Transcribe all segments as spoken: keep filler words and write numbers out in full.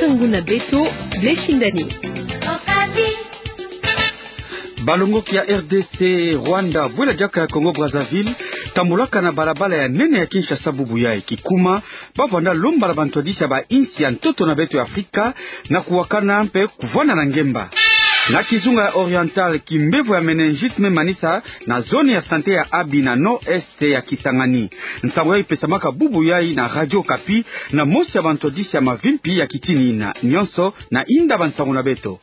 Nsangu na beto, Blessing Dani. Balongoki ya R D C, Rwanda, bwela diaka ya Congo Brazzaville, tambolaka na balabala ya nene ya Kinshasa bubu yai. Kikuma, bavanda lomba na bantwadisi ya bainsi ya ntoto na beto ya Afrika na kuwakana mpe kuvanda na ngemba. Na kizunga ya Oriental, kimbevo ya méningite me manisa na zone ya santé ya Abi na nord-est ya Kisangani. Nsangu yai ipesamaka bubu yai na Radio Okapi na mosi ya bantwadisi ya mavimpi ya kitini yina. Nyonso na inda bansangu na beto.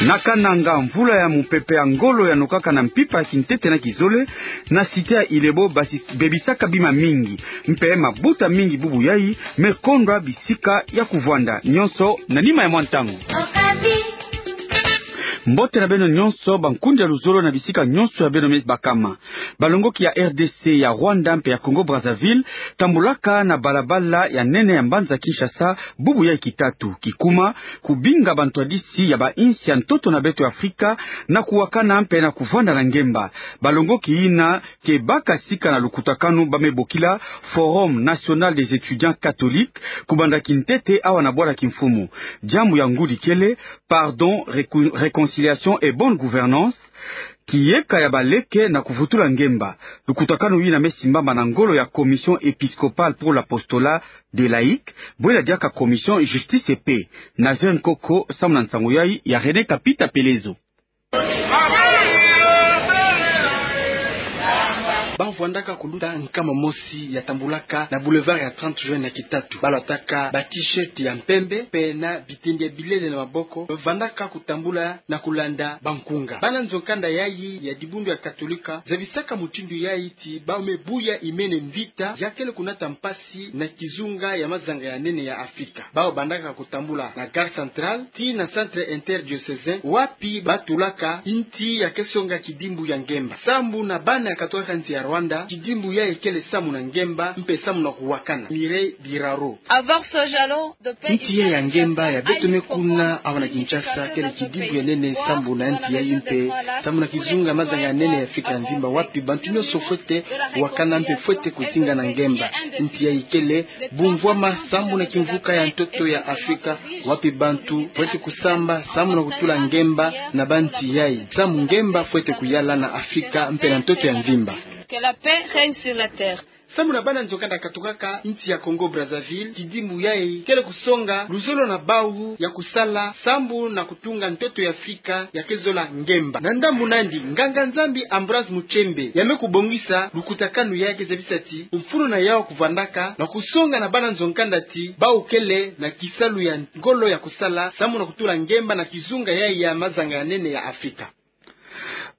Na Kananga, mvula ya mupepe ya ngolo yanokaka na mpimpa ya kintete na kizole, na cité ya Ilebo, basi bebisaka bima mingi. Mpe mabuta mingi bubu yai me kondwa bisika ya kuvanda. Nyonso na nima ya mwa ntangu. Mbote na beno nyonso, bankundi ya luzolo na bisika nyonso ya beno me bakama. Balongoki ya R D C, ya Rwanda mpe ya Congo Brazzaville tambolaka na balabala ya nene ya mbanza Kinshasa bubu yai kitatu. Kikuma, kubinga bantwadisi ya bainsi ya ntoto na beto ya Afrika na kuwakana mpe na kuvanda na ngemba. Balongoki yina ke baka sika na lukutakanu ba me bokila Forum National des Étudiants Catholiques, kubanda kintete awa na bwala kimfumu. Diambu ya ngudi kele: pardon, réco-, réconciliation et bonne gouvernance, kiyeka ya baleke na kuvutula ngemba. Lukutakanu yina me simbama na ngolo ya Commission Épiscopale pour l'Apostolat des Laïcs, bwela diaka Commission Justice et Paix. Nazaire Nkoko, samu na nsangu yai ya René Kapita Pelezo. Bavwandaka kuluta nkama mosi ya tambulaka na boulevard ya trente juin na kitatu. Balwataka ba t-shirt ya mpembe, mpe na bitindi ya bilele na maboko. Bavandaka kutambula na kulanda bankunga. Bana nzo-nkanda yai ya dibundu ya Katolika zabisaka mutindu yai ti bau me buya imene mvita ya kele kunata mpasi na kizunga ya mazanga ya nene ya Afrika. Bau bandaka kutambula na Gare Centrale tii na Centre Interdiocésain, wapi batulaka nti ya ke songa kidimbu ya ngemba. Sambu na bana ya katwaka nsi ya Rwanda, kidimbu yai kele samu na ngemba, mpe samu na kuwakana. Mireille Biraro. Nti yai ya ngemba ya beto me kuna awa na Kinshasa kele kidimbu ya nene sambu na nti yai mpe samu na kizunga mazanga ya nene ya Afrika ya mvimba, wapi bantu nyonso fwete kuwakana mpe fwete kuzinga na ngemba. Nti yai kele bumvwama sambu na kimvuka ya ntoto ya Afrika, wapi bantu fwete kusamba sambu na kutula ngemba na banti yai, samu ngemba fwete kuyala na Afrika mpe na ntoto ya mvimba. Que la paix règne sur la terre. Samu na bana nzo-nkanda katukaka nti ya Congo Brazzaville, kidimbu yai kele kusonga luzolo na bau ya kusala sambu na kutunga ntoto ya Afrika ya ke zola ngemba. Na ndambu nandi, nganga-Nzambi Ambroise Mutshembe ya me kubongisa lukutakanu yai ke zabisa ti mfunu na yau kuvandaka na kusonga na bana nzo-nkanda ti bau kele na kisalu ya ngolo ya kusala samu na kutula ngemba na kizunga yai ya mazanga ya nene ya Afrika.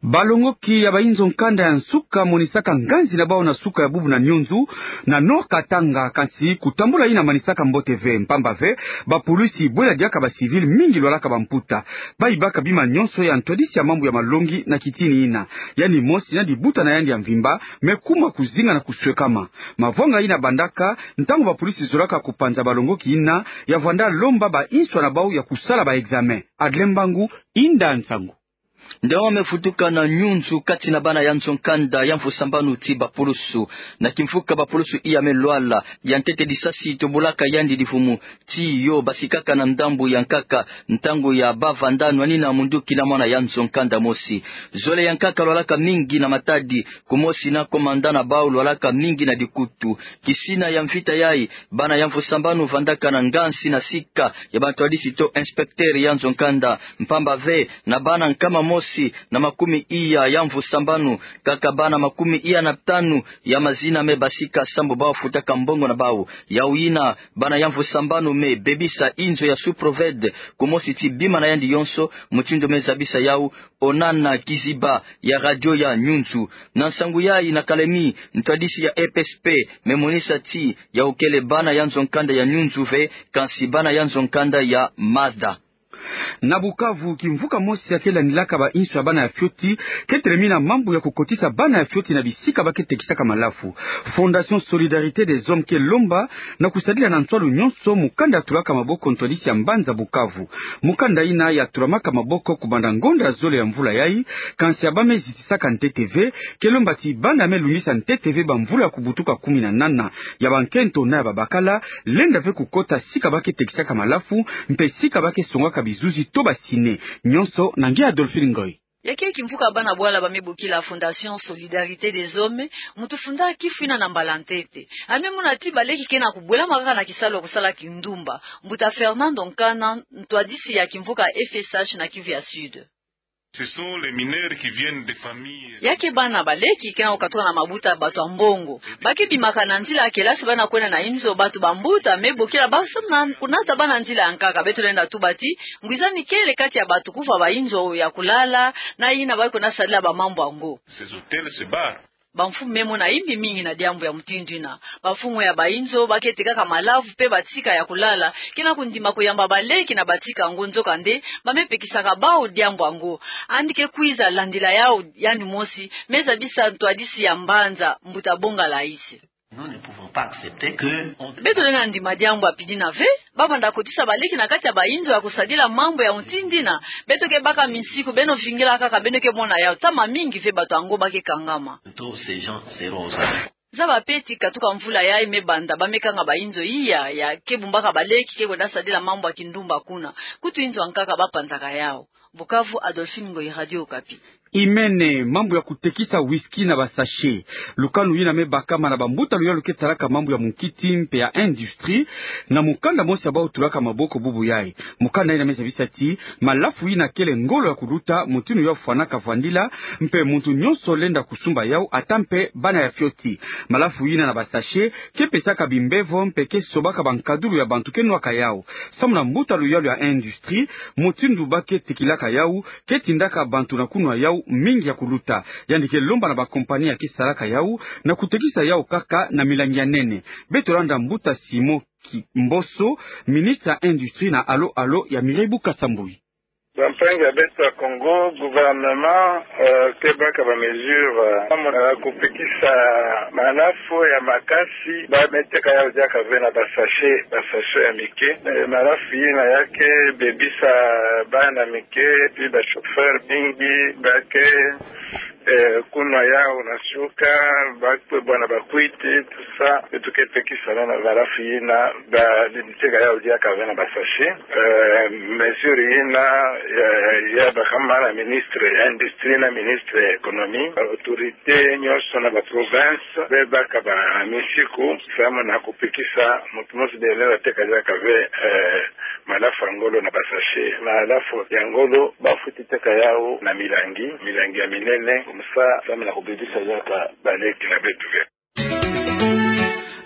Balongoki ya bayi nzo-nkanda ya nsuka monisaka nganzi na bau na suka ya bubu na Nyunzu, na Nord-Katanga, kansi kutambula yina manisaka mbote ve, mpamba ve bapulusi bwela diaka ba civils mingi lwalaka bamputa. Bayibaka bima nyonso ya ntwadisi ya mambu ya malongi na kitini yina. Yandi mosi na dibuta na yandi ya mvimba me kuma kuzinga na kuswekama. Mavwanga yina bandaka ntangu bapulusi zolaka kupanza balongoki yina ya vwanda lomba bainswa na bau ya kusala ba examens. Adrien Mbangu, inda nsangu. Nde wa me futuka na Nyunzu kati na bana ya nzo-nkanda ya mvu sambanu ti bapulusu. Na kimvuka bapulusu iya me lwala, ya ntete disasi tobolaka yandi divumu, ti yo basikaka na ndambu ya nkaka, ntangu ya bavanda nwanina munduki na mwana ya nzo-nkanda mosi. Zole ya nkaka lwalaka mingi na matadi, kumosi na commandant na bau lwalaka mingi na dikutu. Kisina ya mvita yai, bana ya mvu sambanu vandaka na nganzi na sika ya bantwadisi to inspecteur ya nzo-nkanda, mpamba ve na bana nkama mosi na makumi iya ya mvu sambanu, kaka bana makumi iya na tanu ya mazina me basika sambu bau futaka mbongo na bau. Yau yina, bana ya mvu sambanu me bebisa inzo ya sous-proved, kumosi ti bima na yandi yonso, mutindu me zabisa yau, onana kiziba ya radio ya Nyunzu. Na nsangu yai na Kalemi, ntwadisi ya E P S P me monisa ti yau kele bana ya nzo-nkanda ya Nyunzu ve, kansi bana ya nzo-nkanda ya Maza. Na Bukavu, kimvuka mosi ya ke landilaka bainso ya bana ya fioti ke telemina mambu ya kukotisa bana ya fioti na bisika ba ke tekisaka malafu. Fondation Solidarité des Hommes ke lomba na kusadila na nswalu nyonso mukanda ya tulaka maboko ntwadisi ya mbanza Bukavu. Mukanda ina ya tulamaka maboko kubanda ngonda ya zole ya mvula yai, kansi ya ba me zitisaka ntete ve, ke lomba ti bana me lungisa ntete ve bamvula ya kubutuka kumi na nana, ya bankento na ya babakala, lenda ve kukota sika ba ke tekisaka malafu, mpe sika ba ke songaka bizuzi to ba ciné. Nyonso na nge Adolphine Ngoy. Ya ke kimvuka bana bwala ba me bokila Fondation Solidarité des Hommes, muntu funda kifu ina na mbala ntete. A me mona ti baleki ke na kubwelama kaka na kisalu ya kusala kindumba. Mbuta Fernando Nkana, ntwadisi ya kimvuka F S H na Kivu ya Sud. Ce sont les mineurs qui viennent des familles. Ya ke bana baleki ke na kukatuka na mabuta ya bato ya mbongo. Ba ke bimaka na nzila ya kelasi, bana kwenda na inzo, bato bambuta me bokila ba samu na kunata bana nzila ya nkaka. Beto lenda tuba ti ngwizani kele kati ya bato kufa bainzo ya kulala, na ina ba ke kwenda sadila bamambu yango. Ces hôtels se barrent. Bamfumu me mona imbi mingi na diambu ya mutindu ina. Bafumu ya bainzo ba ke tekaka malafu mpe batika ya kulala ke na kundima kuyamba baleki na batika yango, nzokande ba me pekisaka bawu diambu yango. Yandi ke kwiza landila yawu yandi mosi, me zabisa ntwadisi ya mbanza, mbuta Bonga Laïs. Nous ne pouvons pas accepter que on... Beto lenda ndima diambu ya pidina ve, ba banda kotisa baleki na kati ya bainzo ya kusadila mambu ya mutindu ina. Beto ke baka misiku, beno vingila kaka, beno ke mona yawu, ntama mingi ve bato yango ba ke kangama. Tous ces gens seront aux arrêts. Zaba mpe ti katuka mvula yai me banda, ba me kanga bainzo iya ya ke bumbaka baleki ke kwenda sadila mambu ya kindumba kuna. Kutu inzo ya nkaka ba panzaka yawu. Bukavu, Adolphine Ngoyi, Radio Okapi. Imene, mambu ya kutekisa whisky na ba sachet. Lukanu yina me bakama na bambuta luyalu ke talaka mambu ya munkiti mpe ya industrie, na mukanda mosi ya bawu tulaka maboko bubu yai. Mukanda yina me zabisa ti malafu yina kele ngolo ya kuluta, mutindu ya fwanaka vwandila, mpe muntu nyonso lenda kusumba yawu, ata mpe bana ya fioti. Malafu yina na ba sachet ke pesaka bimbevo mpe ke sobaka bankadulu ya bantu ke nwaka yawu. Samu na mbuta luyalu ya industrie, mutindu ba ke tikilaka yawu ke tindaka bantu na kunwa yawu mingi ya kuluta. Yandi ke lomba na bakompani ya ke salaka yawu na kutekisa yawu kaka na milangi ya nene. Beto landa mbuta Simon Kimboso, ministre ya industrie, na Allô Allô ya Mireille Bukasa Mbuyi. Bampangi ya beto ya Congo, gouvernement, euh, ke baka ba mesure, euh, samu na kupekisa malafu ya makasi ba me teka yawu diaka ve na ba sachet, ba sachet ya mike. Eh, malafu yina ya ke bebisa bana mike, puis ba chauffeur mingi ba ke, eh, kunwa yawu na suka, ba kwe bwana ba kwiti, tout ça. Beto ke pekisa na malafu yina ba me teka yawu diaka ve na ba sachet. Eh, mesure yina, eh, ya bakama na ministre ya industrie na ministre ya économie. Ba autorité nyonso na ba province be baka ba misiku samu na kupekisa muntu mosi bele na teka diaka ve, eh, malafu ya ngolo na ba sachet. Malafu ya ngolo ba fweti teka yawu na milangi, milangi ya minene, comme ça, samu na kubebisa diaka baleki na beto ve.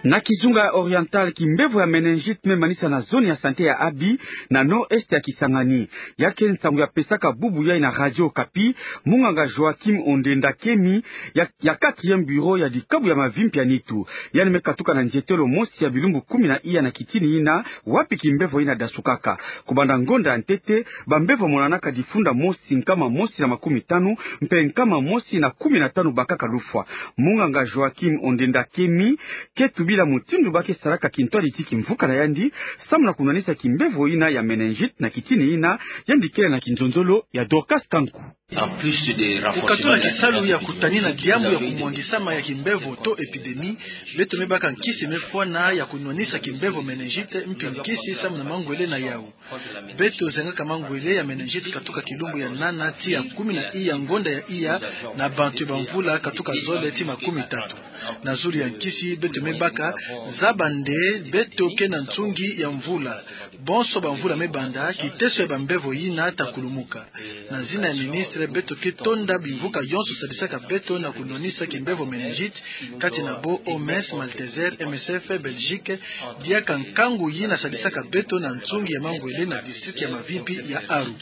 Na kizunga ya Oriental, kimbevo ya méningite me manisa na zone ya santé ya Abi, na nord-est ya Kisangani. Ya ke nsangu ya pesaka bubu yai na Radio Okapi munganga Joachim Ondenda Kemi, ya, ya quatrième bureau ya dikabu ya mavimpi ya nitu. Yandi me katuka na nzietelo mosi ya bilumbu kumi na iya na kitini yina, wapi kimbevo yina dasukaka. Kubanda ngonda ya ntete, bambevo monanaka difunda mosi nkama mosi na makumi tanu, mpe nkama mosi na kumi na tanu bakaka lufwa. Munganga Joachim Ondenda Kemi ke tubila mutindu ba ke salaka kintwadi ti kimvuka na yandi, samu na kunwanisa kimbevo yina ya méningite na kitini yina. Yandi kele na kinzonzolo ya Dorcas Kanku. Kukatuna kisalu ya kutanina diambu ya kumwangisama ya kimbevo to épidémie, beto me baka nkisi me fwana ya kunwanisa kimbevo méningite, mpi nkisi samu na mangwele na yawu. Beto zengaka mangwele ya méningite katuka kilumbu ya nana tii ya kumi na iya ngonda ya iya na bantu ya bamvula katuka zole tii makumi tatu. Na zulu ya nkisi beto me baka, zaba nde beto ke na nsungi ya mvula. Bonso bamvula me banda, kiteso ya bambevo yina ta kulumuka. Na zina ya ministre, beto ke tonda bimvuka yonso sadisaka beto na kunwanisa kimbevo méningite, kati na bo O M S, Malteser, M S F, Belgique, diaka nkangu yina sadisaka beto na nsungi ya mangwele na district ya mavimpi ya Aru.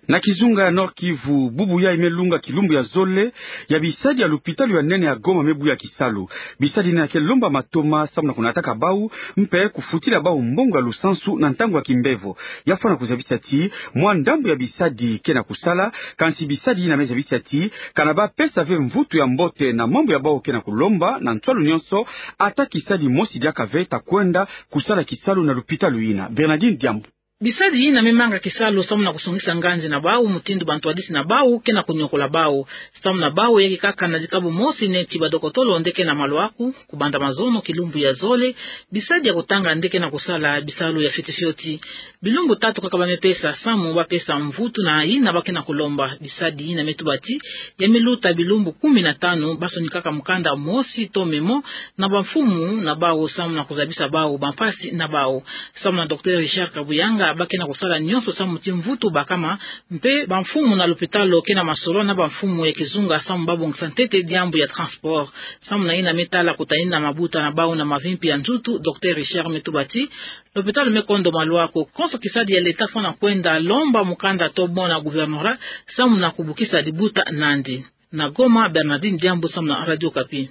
Na kizunga ya Nord-Kivu, bubu yayi me lunga kilumbu ya zole ya bisadi ya lupitalu ya nene ya Goma me buya kisalu. Bisadi yina ke lomba matoma samu na kunataka bau mpe kufutila bau mbongo ya lusansu na ntangu ya kimbevo. Ya fwana kuzabisa ti mwa ndambu ya bisadi ke na kusala, kansi bisadi yina me zabisa ti kana ba pesa ve mvutu ya mbote na mambu ya bau ke na kulomba na nswalu nyonso, ata kisadi mosi diaka ve ta kwenda kusala kisalu na lupitalu yina. Bernardine Diambu. Bisadi yina me manga kisalu samu na kusongisa nganzi na bau, mutindu bantwadisi na bau ke na kunyokola bau. Samu na bau, ya ke kaka na dikabu mosi neti badokotolo nde ke na malwaku, kubanda mazono kilumbu ya zole, bisadi ya kutanga nde ke na kusala bisalu ya fioti fioti. Bilumbu tatu kaka ba me pesa samu ba pesa mvutu na yina ba ke na kulomba. Bisadi yina me tuba ti ya me luta bilumbu kumi na tanu, ba sonikaka mukanda mosi to mémo na bamfumu na bau samu na kuzabisa bau bampasi na bau. Samu na Docteur Richard Kabuyanga, ba ke na kusala nyonso samu ti mvutu bakama, mpe bamfumu na lupitalu ke na masolo na bamfumu ya kizunga samu ba bongisa ntete diambu ya transport. Samu na yina me tala kutanina mabuta na bau na mavimpi ya nzutu, Docteur Richard me tuba ti lupitalu me kondo malwaku, konso kisadi ya leta fwana kwenda lomba mukanda to bon na gouvernorat samu na kubukisa dibuta nandi. Na Goma, Bernardine Diambu samu na Radio Okapi.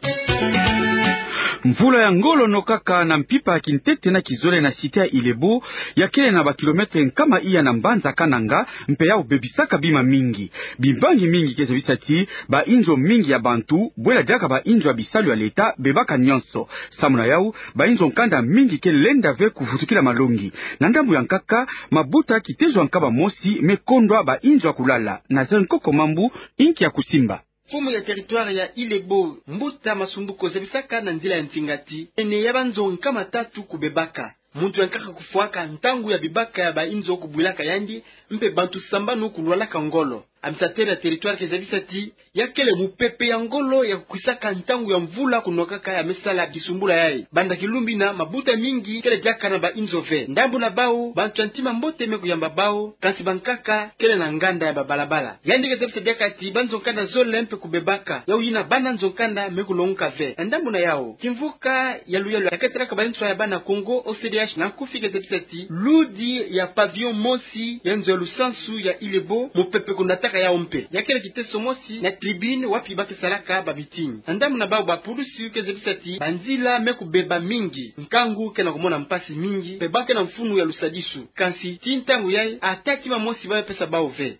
Mvula ya ngolo nokaka na mpimpa ya kintete na kizole na site ya Ilebo, ya kele na bakilometre nkama iya na mbanza Kananga, mpe yau bebisaka bima mingi. Bimbangi mingi ke zabisa ti bainzo mingi ya bantu, bwela diaka bainzo ya bisalu ya leta, bebaka nyonso. Samu na yau, bainzo nkanda mingi ke lenda ve kuvutukila malongi. Na ndambu ya nkaka, mabuta kitezo ya nkaba mosi me kondwa bainzo ya kulala. Nazaire Nkoko Mambu, inki ya kusimba. Mfumu ya territoire ya Ilebo, Mbuta Masumbuko, zabisaka na nzila ya ntinga ti ene ya banzo nkama tatu kubebaka. Muntu ya nkaka kufwaka ntangu ya bibaka ya bainzo kubwilaka yandi, mpe bantu sambanu kulwalaka ngolo. Administrateur ya territoire ke zabisa ti ya kele mupepe ya ngolo ya kukwisaka ntangu ya mvula kunokaka ya me sala kisumbula yayi. Banda kilumbu yina, mabuta mingi kele diaka na bainzo ve. Ndambu na bau, bantu ya ntima mbote me kuyamba bau, kansi bankaka kele na nganda ya babalabala. Yandi ke zabisa diaka ti banzo nkanda zole mpe kubebaka, yau yina bana nzo nkanda me kulongoka ve. Na ndambu na yau, kimvuka ya luyalu ya ke talaka banswa ya bana Kongo, O C D H, na nkufi ke zabisa ti ludi ya pavillon mosi ya nzo ya lusansu ya Ilebo, mupepe kunataka yau mpe. Ya kele kiteso mosi na tribune wapi ba ke salaka ba meeting. Na ndambu na bau, bapulusi ke zabisa ti banzila me kubeba mingi, nkangu ke na kumona mpasi mingi, mpe ba ke na mfunu ya lusadisu. Kansi tii ntangu yayi, ata kima mosi ba me pesa bau ve.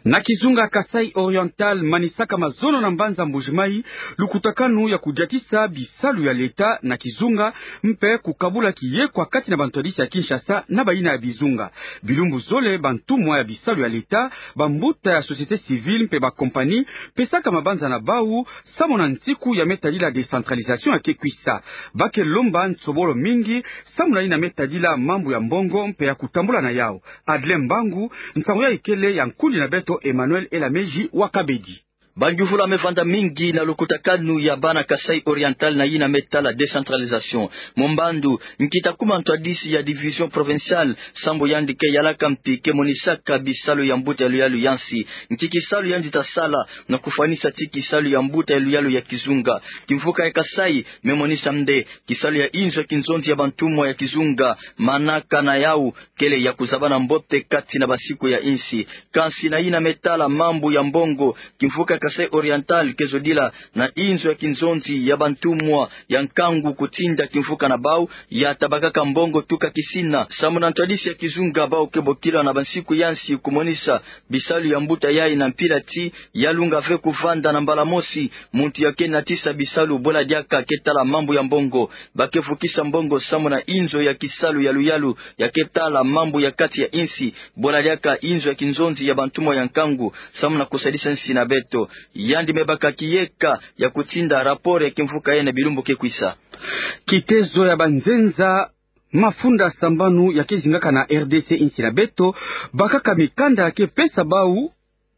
Na kizunga Kasaï Oriental, manisaka mazono na mbanza Mbujimayi lukutakanu ya kudiatisa bisalu ya leta na kizunga, mpe kukabula kiyekwa kati na bantwadisi ya Kinshasa na bayina ya bizunga. Bilumbu zole, bantumwa ya bisalu ya leta, bambuta ya société civile mpe bakompani pesaka mabanza na bau samu na nsiku ya me tadila décentralisation ya ke kwisa. Ba ke lomba nsobolo mingi samu na yina me tadila mambu ya mbongo mpe ya kutambula na yau. Adrien Mbangu, nsangu yayi kele ya nkundi na beto Emmanuel Elameji wa Kabedi. Bangiuvula me vanda mingi na lukutakanu ya bana Kasaï Oriental na yina me tala décentralisation. Mombanda, nkita kuma ntwadisi ya division provinciale, sambu yandi ke yalaka mpi, ke monisaka bisalu ya mbuta ya luyalu ya nsi. Nki kisalu yandi ta sala na kufwanisa ti kisalu ya mbuta ya luyalu ya kizunga? Kimvuka ya Kasaï me monisa nde kisalu ya inzo ya kinzonzi ya bantumwa ya kizunga, manaka na yau kele ya kuzabana mbote kati na bansiku ya insi. Kansi na yina me tala mambu ya mbongo, kimvuka Kasaï Oriental ke zodila na inzo ya kinzonzi ya bantumwa ya nkangu kutinda kimvuka na bau, ya tabakaka mbongo tuka kisina. Samu na ntwadisi ya kizunga, bau ke bokila na bansiku ya nsi kumonisa bisalu ya mbuta yayi na mpila ti ya lunga ve kuvanda na mbala mosi muntu ya ke natisa bisalu, bwela diaka ke tala mambu ya mbongo. Ba ke vukisa mbongo samu na inzo ya kisalu ya luyalu ya ke tala mambu ya kati ya insi, bwela diaka inzo ya kinzonzi ya bantumwa ya nkangu, samu na kusadisa nsi na beto. Yandi me baka kiyeka ya kutinda rapport ya kimvuka yayi na bilumbu ke kwisa. Kitezo ya banzenza mafunda sambanu ya ke zingaka na R D C, insi na beto, bakaka mikanda ya ke pesa bau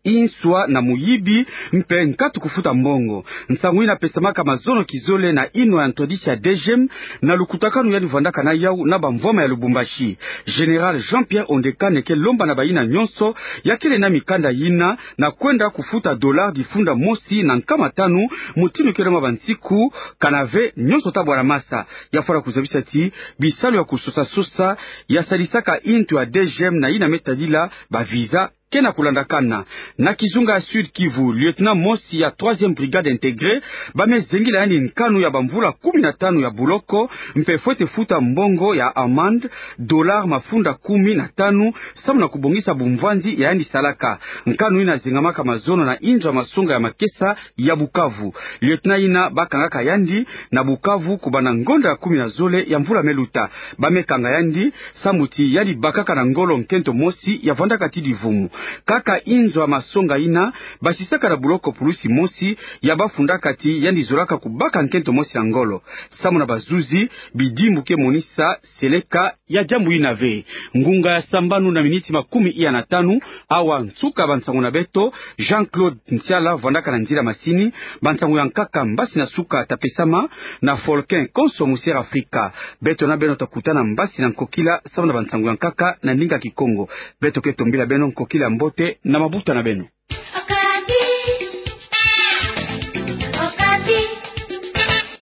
inswa na muyibi, mpe nkatu kufuta mbongo. Nsangu yina pesamaka mazono kizole na inwa ya ntwadisi ya D G M na lukutakanu yandi vandaka na yau na bamvwama ya Lubumbashi. Général Jean-Pierre Ondekane ke lomba na bayina nyonso ya kele na mikanda yina na kwenda kufuta dollar difunda mosi na nkama tanu, mutindu ke lomba bansiku, kana ve nyonso ta bwana masa. Ya fwana kuzabisa ti bisalu ya kusosa-sosa ya sadisaka intu ya D G M na yina me tadila ba visa ke na kulandakana. Na kizunga ya Sud-Kivu, lieutenant mosi ya troisième brigade intégrée, ba me zengila yandi nkanu ya bamvula kumi na tanu ya buloko, mpe fwete futa mbongo ya amende, dollar mafunda kumi na tanu, samu na kubongisa bumvwanzi ya yandi salaka. Nkanu ina zingamaka mazono na inzo ya masonga ya makesa ya Bukavu. Lieutenant ina ba kangaka yandi na Bukavu kubanda ngonda ya kumi na zole ya mvula me luta. Ba me kanga yandi samu ti yandi bakaka na ngolo nkento mosi ya vwandaka ti divumu. Kaka inzo ya masonga ina basisaka na buloko pulusi mosi ya bafundaka ti yandi zolaka kubaka nkento mosi na ngolo. Samu na bazuzi, bidimbu ke monisa seleka ya diambu ina ve. Ngunga ya sambanu na miniti makumi iya na tanu, awa nsuka bansangu na beto. Jean-Claude Ntiala vwandaka na nzila masini, bansangu ya nkaka mbasi na suka ta pesama na Volcan konso mu Sierra Africa. Beto na beno ta kutana mbasi na nkokila samu na bansangu ya nkaka na ndinga Kikongo. Beto ke tombila beno nkokila mbote na mabuta na beno.